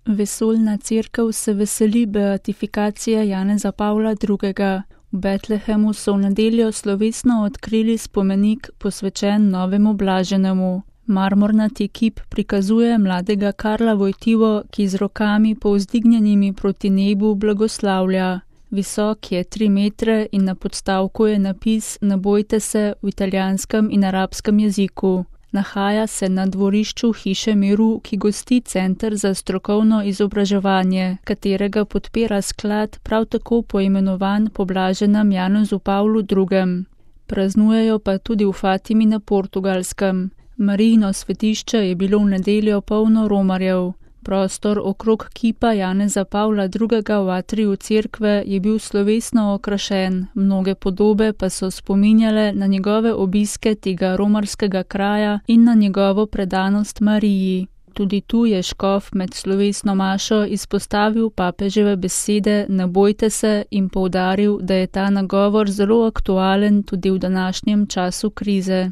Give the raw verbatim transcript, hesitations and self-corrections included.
Vesoljna cerkev se veseli beatifikacije Janeza Pavla drugega. V Betlehemu so v nedeljo slovesno odkrili spomenik posvečen novemu blaženemu. Marmornati kip prikazuje mladega Karla Wojtyło, ki z rokami povzdignjenimi proti nebu blagoslavlja. Visok je tri metre in na podstavku je napis Ne bojte se v italijanskem in arabskem jeziku. Nahaja se na dvorišču Hiše miru, ki gosti Center za strokovno izobraževanje, katerega podpira sklad prav tako poimenovan po blaženem Janezu Pavlu drugem. Praznujejo pa tudi v Fatimi na Portugalskem. Marijino svetišče je bilo v nedeljo polno romarjev. Prostor okrog kipa Janeza Pavla drugega v atriju cerkve je bil slovesno okrašen, mnoge podobe pa so spominjale na njegove obiske tega romarskega kraja in na njegovo predanost Mariji. Tudi tu je škof med slovesno mašo izpostavil papeževe besede Ne bojte se in poudaril, da je ta nagovor zelo aktualen tudi v današnjem času krize.